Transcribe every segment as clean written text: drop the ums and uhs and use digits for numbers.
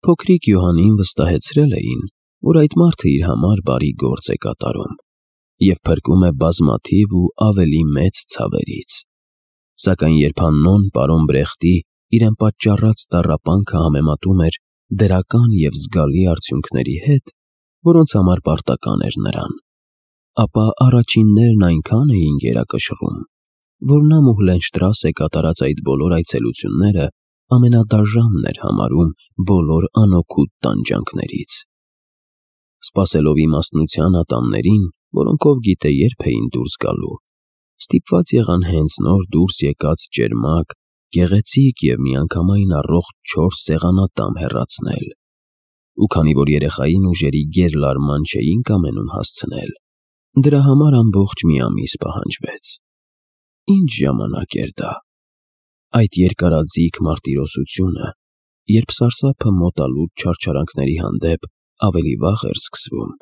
Փոքրիկ Յոհանին վստահեցրել էին, որ այդ մարդը իր համար բարի գործ է կատարում և փրկում է բազմաթիվ ու ավելի մեծ ցավերից։ Սակայն երբ Հաննոն պարոն Բրեխտի իրեն պատճառած տառապանքը համեմատում էր դրական և զգալի արդյունքների հետ, որոնց համար պարտական էր նրան, ապա առաջիններն այնքան էին գերակշռում, որ նա Մուհլենշտրասե կատարած այդ բոլոր այցելությունները ամենադաժանն էր համարում բոլոր անօգուտ տանջանքներից։ Սպասելով իմաստնության ատամներին, որոնքով գիտե երբ էին դուրս գալու, ստիպված եղան հենց նոր դուրս եկած ճերմակ, գեղեցիկ և միանգամայն առողջ 4 սեղանատամ հեռացնել, ու քանի որ երեխային ուժերի գերլարման չէին կամենում հասցնել, դրա համար ամբողջ մի ամիս պահանջվեց։ Ինչ ժամանակ էր դա։ Այդ երկարաձիգ մարտիրոսությունը, երբ սարսափը մոտալուտ չարչարանքների հանդեպ ավելի վաղ էր սկսվում,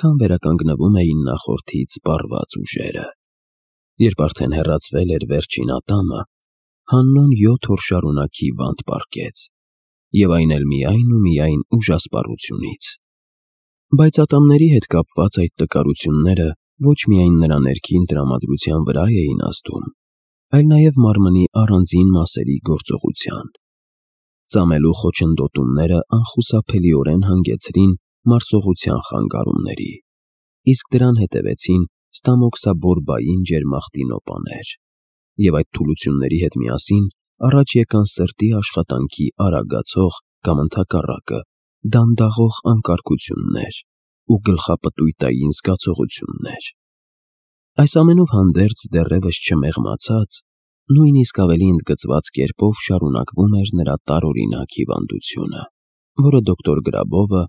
քան վերականգնվում էին նախորդից սպառված ուժերը։ Երբ արդեն հեռացվել էր վերջին ատամը, Հաննոն 7 օր շարունակ հիվանդ պառկեց, և այն էլ միայն ու միայն ուժասպառությունից։ Բայց ատամների հետ կապված այդ տկարությունները ոչ միայն նրա ներքին տրամադրության վրա էին ազդում, այլ նաև մարմնի առանձին մասերի գործողության։ Ծամելու խոչընդոտումները անխուսափելիորեն հանգեցրին մարսողության խանգարումների, իսկ դրան հետևեցին ստամոքսաբորբային ջերմախտինոպաներ, և այդ թուլությունների հետ միասին առաջ եկան սրտի աշխատանքի արագացող կամ ընդհակառակը դանդաղող անկարգություններ ու գլխապտույտային զգացողություններ։ Այս ամենով հանդերձ դեռևս չմեղմացած, նույնիսկ ավելի ընդգծված կերպով շարունակվում էր նրա տարօրինակ հիվանդությունը, որը դոկտոր Գրաբովը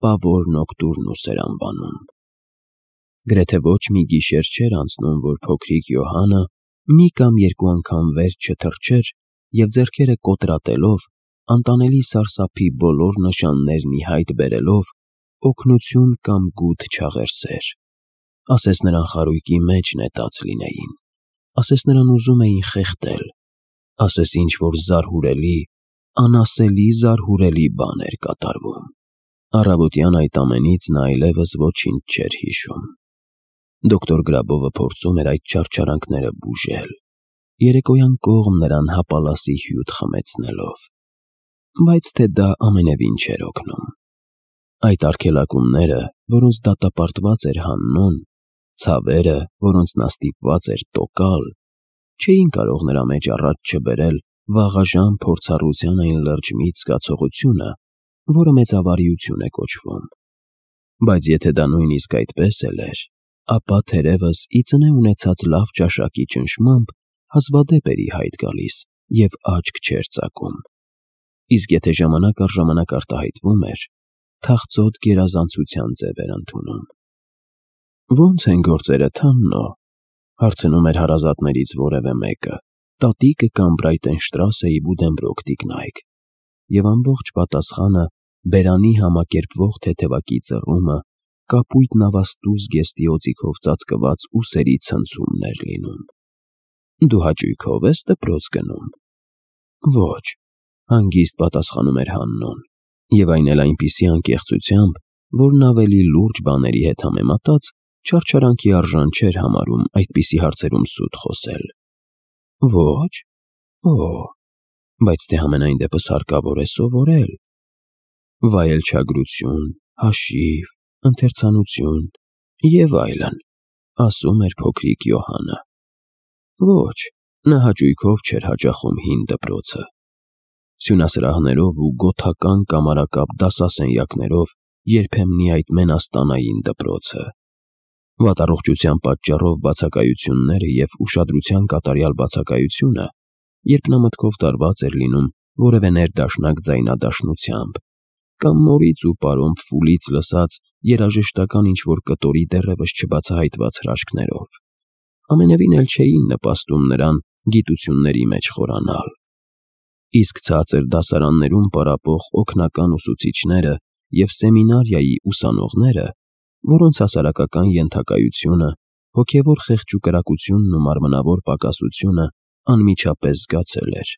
պավոր նոկտուրնուս էր անվանում։ Գրեթե ոչ մի գիշեր չէր անցնում, որ փոքրիկ Յոհանը մի կամ երկու անգամ վեր չթռչեր և ձեռքերը կոտրատելով, անտանելի սարսափի բոլոր նշաններն ի հայտ բերելով, օգնություն կամ գութ չաղերսեր։ Ասես նրան խարույկի մեջ նետած լինեին, ասես նրան ուզում էին խեղդել, ասես ինչ-որ զարհուրելի, անասելի զարհուրելի բան էր կատարվում։ Առավոտյան այդ ամենից նա այլևս ոչինչ չէր հիշում։ Դոկտոր Գրաբովը փորձում էր այդ չարչարանքները բուժել, երեկոյան կողմ նրան հապալասի հյութ խմեցնելով, բայց թե դա ամենևին չէր օգնում։ Այդ արգելակումները, որոնց դատապարտված էր Հաննոն, ցավերը, որոնց նա ստիպված էր տոկալ, չէին կարող նրա մեջ առաջ չբերել վաղաժամ փորձառության այն լրջմիտ զգացողությունը, որը մեծավարիություն է կոչվում։ Բայց եթե դա նույնիսկ այդպես էլ էր, ապա թերևս ի ծնե ունեցած լավ ճաշակի ճնշմամբ հազվադեպ էր ի հայտ գալիս և աչք չէր ծակում։ Իսկ եթե ժամանակ առ ժամանակ արտահայտվում էր, թախծոտ գերազանցության ձև էր ընդունում։ «Ո՞նց են գործերդ, Հաննո», հարցնում էր հարազատներից որևէ մեկը, տատիկը կամ Բրայտենշտրասեի Բուդենբրոկ տիկնայք, և ամբողջ պատասխանը բերանի համակերպվող թեթևակի ծռումը, կապույտ նավաստու զգեստի օձիքով ծածկված ուսերի ցնցումն էր լինում։ «Դու հաճույքով ես դպրոց գնում»։ «Ոչ», հանգիստ պատասխանում էր Հաննոն, և այն էլ այնպիսի անկեղծությամբ, որն ավելի լուրջ բաների հետ համեմատած չարչարանքի արժան չէր համարում այդպիսի հարցերում սուտ խոսել։ «Ոչ»։ «Օ՜, բայց դե համենայն դեպս հարկավոր է սովորել. վայելչագրություն, հաշիվ, ընթերցանություն և այլն», ասում էր փոքրիկ Յոհանը։ Ոչ, նա հաճույքով չէր հաճախում հին դպրոցը։ Սյունասրահներով ու գոթական կամարակապ դասասենյակներով երբեմնի այդ մենաստանային դպրոցը։ Վատառողջության պատճառով բացակայությունները և ուշադրության կատարյալ բացակայությունը, երբ նա մտքով տարված էր լինում որևէ ներդաշնակ ձայնադաշնությամբ, կամ մորից ու պարոն Փֆուլից լսած երաժշտական ինչ-որ կտորի դեռևս չբացահայտված հրաշքներով, ամենևին էլ չէին նպաստում նրան գիտությունների մեջ խորանալ։ Իսկ ցածր դասարաններում պարապող օգնական ուսուցիչները և սեմինարիայի ուսանողները, որոնց հասարակական ենթակայությունը, հոգևոր խեղճուկրակությունն ու մարմնավոր պակասությունը անմիջապես զգացել էր,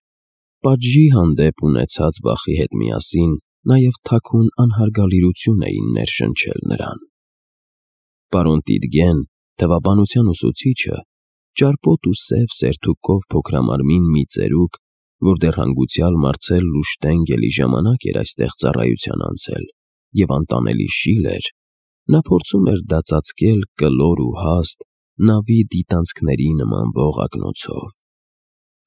պատժի հանդեպ ունեցած վախի հետ միասին նաև թաքուն անհարգալիրություն էին ներշնչել նրան։ Պարոն Տիդգեն, թվաբանության ուսուցիչը, ճարպոտ ու սև սերթուկով փոքրամարմին մի ծերուկ, որ դեռ հանգուցյալ Մարցել Շտենգելի ժամանակ էր այստեղ ծառայության անցել և անտանելի շիլ էր, նա փորձում էր դա ծածկել կլոր ու հաստ, նավի դիտանցքների նմանվող ակնոցով։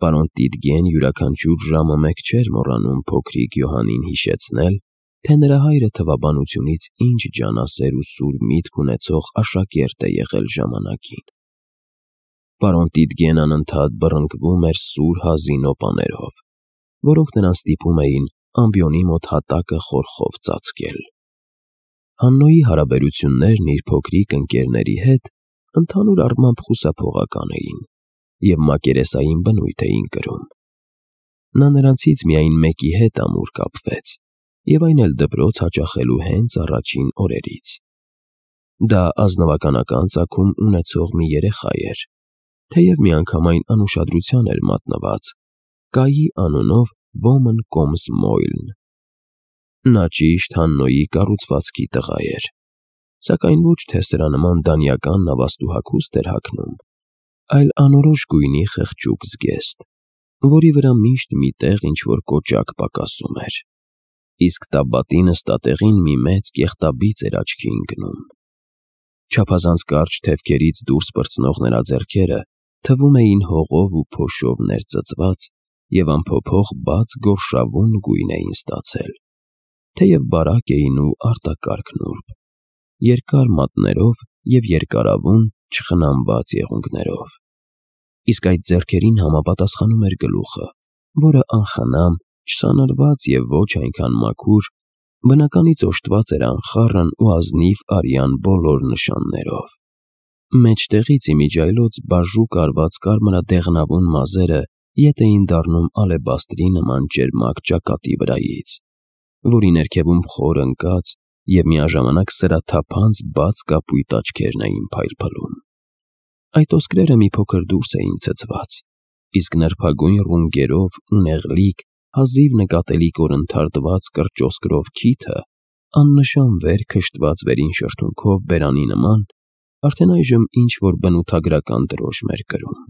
Պարոն Տիդգեն յուրաքանչյուր ժամը մեկ չէր մոռանում փոքրիկ Յոհանին հիշեցնել, թե նրա հայրը թվաբանությունից ինչ ջանասեր ու սուր միտք ունեցող աշակերտ է եղել ժամանակին։ Պարոն Տիդգեն անընդհատ բռնկվում էր սուր հազի նոպաներով, որոնք նրան ստիպում էին ամբիոնի մոտ հատակը խորխով ծածկել։ Հաննոյի հարաբերություններն իր փոքրիկ ընկերների հետ ընդհանուր առմամբ խուսափողական էին և մակերեսային բնույթ էին կրում։ Նա նրանցից միայն մեկի հետ ամուր կապվեց, և այն էլ դպրոց հաճախելու հենց առաջին օրերից։ Դա ազնվականական ծագում ունեցող մի երեխա էր, թեև միանգամայն անուշադրության էր մատնված Կայի անունով ոմն կոմս Մոյլն։ Նա ճիշտ Հաննոյի կառուցվածքի տղա էր, սակայն ոչ թե սրա նման դանիական նավաստու հագուստ էր հագնում, այլ անորոշ գույնի խղճուկ զգեստ, որի վրա միշտ մի տեղ ինչ-որ կոճակ պակասում էր, իսկ տաբատի նստատեղին մի մեծ կեղտաբիծ էր աչքի ընկնում։ Չափազանց կարճ թևքերից դուրս պրծնող նրա ձեռքերը թվում էին հողով ու փոշով ներծծված և անփոփոխ բաց գորշավուն գույն էին ստացել, թեև բարակ էին ու արտակարգ նուրբ, երկար մատներով և երկարավուն չխնամված եղունգներով։ Իսկ այդ ձեռքերին համապատասխանում էր գլուխը, որը անխնամ, չսանրված և ոչ այնքան մաքուր, բնականից օժտված էր անխառն ու ազնիվ արյան բոլոր նշաններով։ Մեջտեղից իմիջիայլոց բաժուկ արված կարմրադեղնավուն մազերը ետ էին դառնում ալեբաստրի նման ճերմակ ճակատի վրայից, որի ներքևում խոր ընկած և միաժամանակ սրաթափանց բաց կապույտ աչքերն էին փայլփլում։ Այդ ոսկրերը մի փոքր դուրս էին ցցված, իսկ նրբագույն ռունգերով ու նեղլիկ, հազիվ նկատելի կորընթարթված կրճոսկրով քիթը, աննշան վեր քշտված վերին շրթունքով բերանի նման, արդեն այժմ ինչ-որ բնութագրական դրոշմ էր կրում։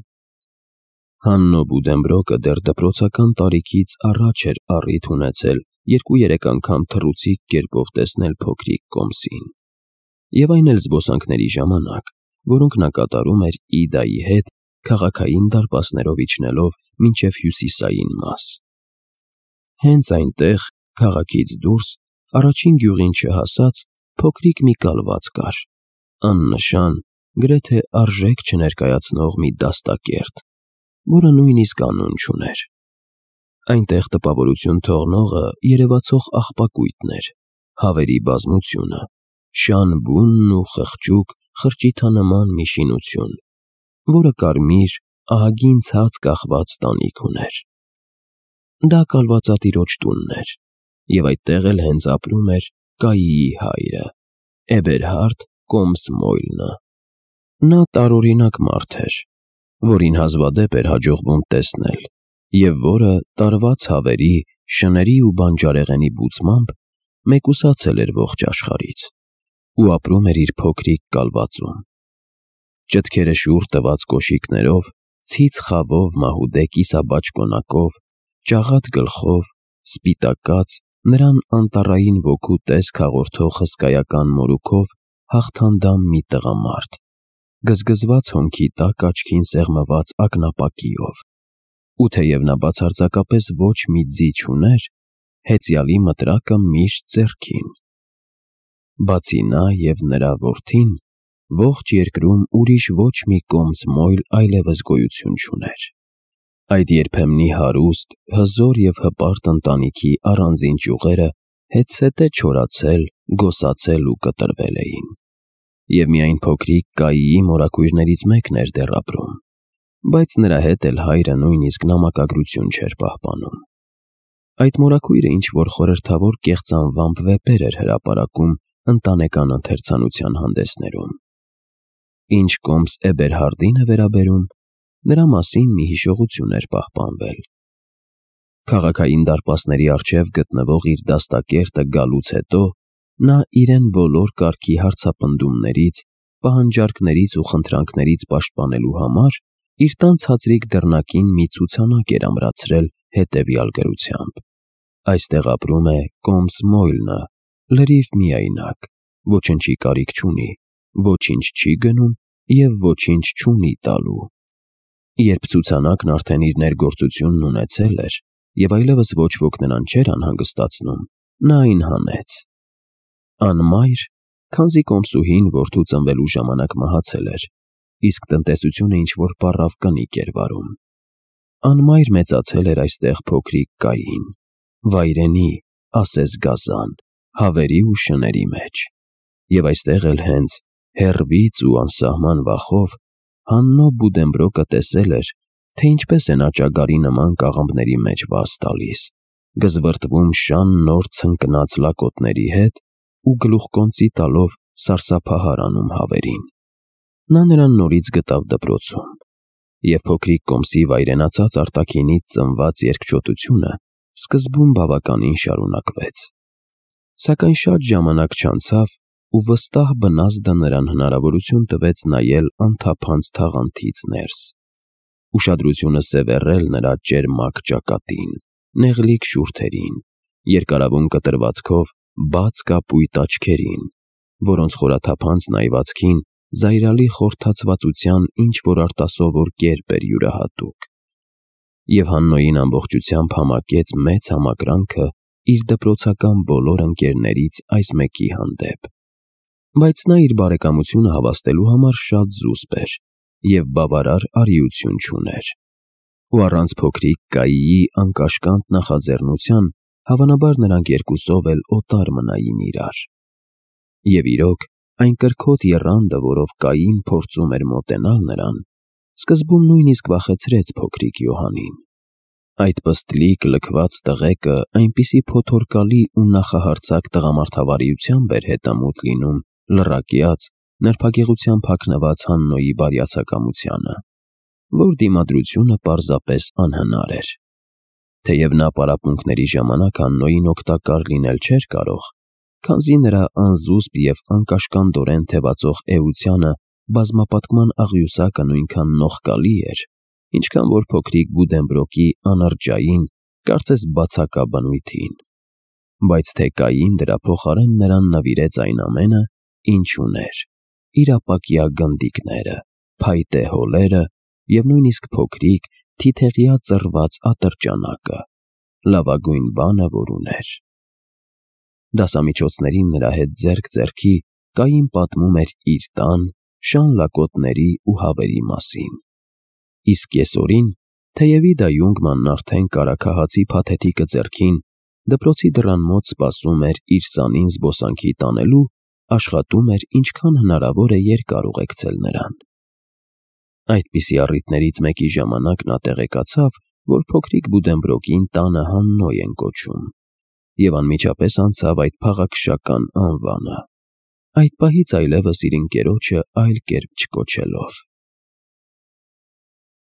Հաննո Բուդենբրոկը դեռ դպրոցական տարիքից առաջ էր առիթ ունեցել 2-3 անգամ թռուցիկ կերպով տեսնել փոքրիկ Կոմսին, և այն էլ զբոսանքների ժամանակ, որոնք նա կատարում էր Իդայի հետ քաղաքային դարպասներով իջնելով մինչև հյուսիսային մաս։ Հենց այնտեղ, քաղաքից դուրս, առաջին գյուղին չհասած, փոքրիկ մի կալված կար, աննշան, գրեթե արժեք չներկայացնող մի դաստակերտ, որը նույնիսկ անուն չուներ։ Այնտեղ տպավորություն թողնողը երևացող աղբակույտն էր, հավերի բազմությունը, շան բունն ու խղճուկ խրճիթանման մի շինություն, որը կարմիր, ահագին ցած կախված տանիք ուներ։ Դա կալվածատիրոջ տունն էր, և այդտեղ էլ հենց ապրում էր Կայիի հայրը, Էբերհարդ Կոմս Մոյլնը։ Նա տարօրինակ մարդ էր, որին հազվադեպ էր հաջողվում տեսնել, և որը տարված հավերի, շների ու բանջարեղենի բուծմամբ մեկուսացել էր ողջ աշխարհից ու ապրում էր իր փոքրիկ կալվածում։ Ճտքերը շուռ տված կոշիկներով, ցից խավով մահուդե կիսաբաճ կոնակով, ճաղատ գլխով, սպիտակած, նրան անտառային ոգու տեսք հաղորդող հսկայական մորուքով հաղթանդամ մի տղամարդ, գզգզված հոնքի տակ աչքին սեղմված ակնապակիով, ու թեև նա բացարձակապես ոչ մի ձի չուներ, հեծյալի մտրակը միշտ ձեռքին։ Բացի նա և նրա որդին, ողջ երկրում ուրիշ ոչ մի Կոմս Մոյլ այլևս գոյություն չուներ։ Այդ երբեմնի հարուստ, հզոր և հպարտ ընտանիքի առանձին ճյուղերը հետզհետե չորացել, գոսացել ու կտրվել էին, և միայն փոքրիկ Կայիի մորաքույրներից մեկն էր դեռ ապրում, բայց նրա հետ էլ հայրը նույնիսկ նամակագրություն չէր պահպանում։ Այդ մորաքույրը ինչ-որ խորհրդավոր կեղծանվամբ վեպեր էր հրապարակում ընտանեկան ընթերցանության հանդեսներում։ Ինչ Կոմս Էբերհարդին է վերաբերում, նրա մասին մի հիշողություն էր պահպանվել։ Քաղաքային դարպասների առջև գտնվող իր դաստակերտը գալուց հետո նա իրեն բոլոր կարգի հարցապնդումներից, պահանջարկներից ու խնդրանքներից պաշտպանելու համար իր տան ցածրիկ դռնակին մի ցուցանակ էր ամրացրել հետևյալ գրությամբ. «Այստեղ ապրում է Կոմս Մոյլնը, լրիվ միայնակ, ոչնչի կարիք չունի, ոչինչ չի գնում և ոչինչ չունի տալու»։ Երբ ցուցանակն արդեն իր ներգործությունն ունեցել էր և այլևս ոչ ոք նրան չէր անհանգստացնում, նա այն հանեց։ Անմայր, քանզի կոմսուհին որդու ծնվելու ժամանակ մահացել էր, իսկ տնտեսությունը ինչ-որ պառավ կնիկ էր վարում։ Անմայր մեծացել էր այստեղ փոքրիկ Կային, վայրենի, ասես գազան, հավերի ու շների մեջ։ Եվ այստեղ էլ հենց հեռվից ու անսահման վախով Հաննո Բուդենբրոկը տեսել էր, թե ինչպես են աճագարի նման կաղամբների մեջ վազ տալիս, գզվռտվում շան նոր ցնկնած լակոտների հետ ու գլուխկոնծի տալով սարսափահար անում հավերին։ Նա նրան նորից գտավ դպրոցում, և փոքրիկ Կոմսի վայրենացած արտաքինից ծնված երկչոտությունը սկզբում բավականին շարունակվեց։ Սակայն շատ ժամանակ չանցավ, ու վստահ բնազդը նրան հնարավորություն տվեց նայել անթափանց թաղանթից ներս, ուշադրությունը սևեռել նրա ճերմակ ճակատին, նեղլիկ շուրթերին, երկարավուն կտրվածքով բաց կապույտ աչքերին, որոնց խորաթափանցն այվածքին զայրալի խորթացվածության ինչ-որ արտասովոր կերպ էր յուրահատուկ։ Եվ Հաննոյին ամբողջությամբ համակեց մեծ համակրանքը իր դպրոցական բոլոր ընկերներից այս մեկի հանդեպ։ Բայց նա իր բարեկամությունը հավաստելու համար շատ զուսպ էր և բավարար արիություն չուներ, ու առանց փոքրիկ Կայիի անկաշկանդ նախաձեռնության հավանաբար նրանք երկուսով էլ օտար մնային իրար։ Եվ իրոք, այն կրքոտ եռանդը, որով Կային փորձում էր մոտենալ նրան, սկզբում նույնիսկ վախեցրեց փոքրիկ Յոհանին։ Այդ պստլիկ լքված տղեկը այնպիսի փոթորկալի ու նախահարձակ տղամարդավարիությամբ էր հետամուտ լինում լռակյաց, նրբագեղությամբ հագնված Հաննոյի բարյացակամությանը, որ դիմադրությունը պարզապես անհնար էր։ Թեև նա պարապմունքների ժամանակ Հաննոյին օգտակար լինել չէր կարող, քանզի նրա անզուսպ և անկաշկանդորեն թևածող էությանը բազմապատկման աղյուսակը նույնքան նողկալի էր, ինչքան որ փոքրիկ Բուդենբրոկի անրջային, կարծես բացակա բնույթին։ Բայց թե Կային դրա փոխարեն նրան նվիրեց այն ամենը, ինչ ուներ՝ իր ապակյա գնդիկները, փայտե հոլերը և նույնիսկ փոքրիկ, թիթեղյա ծռված ատրճանակը, լավագույն բանը, որ ուներ։ Դասամիջոցներին նրա հետ ձեռք ձեռքի Կային պատմում էր իր տան, շան լակոտների ու հավերի մասին։ Իսկ կեսօրին, թեև Իդա Յունգմանն արդեն կարագահացի փաթեթիկը ձեռքին դպրոցի դռան մոտ սպասում էր իր սանին զբոսանքի տանելու, աշխատում էր ինչքան հնարավոր է երկար ուղեկցել նրան։ Այդպիսի առիթներից մեկի ժամանակ նա տեղեկացավ, որ փոքրիկ Բուդենբրոկին տանը Հաննոյ են կոչում, և անմիջապես անցավ այդ փաղաքշական անվանը, այդ պահից այլևս իր ընկերոջը այլ կերպ չկոչելով։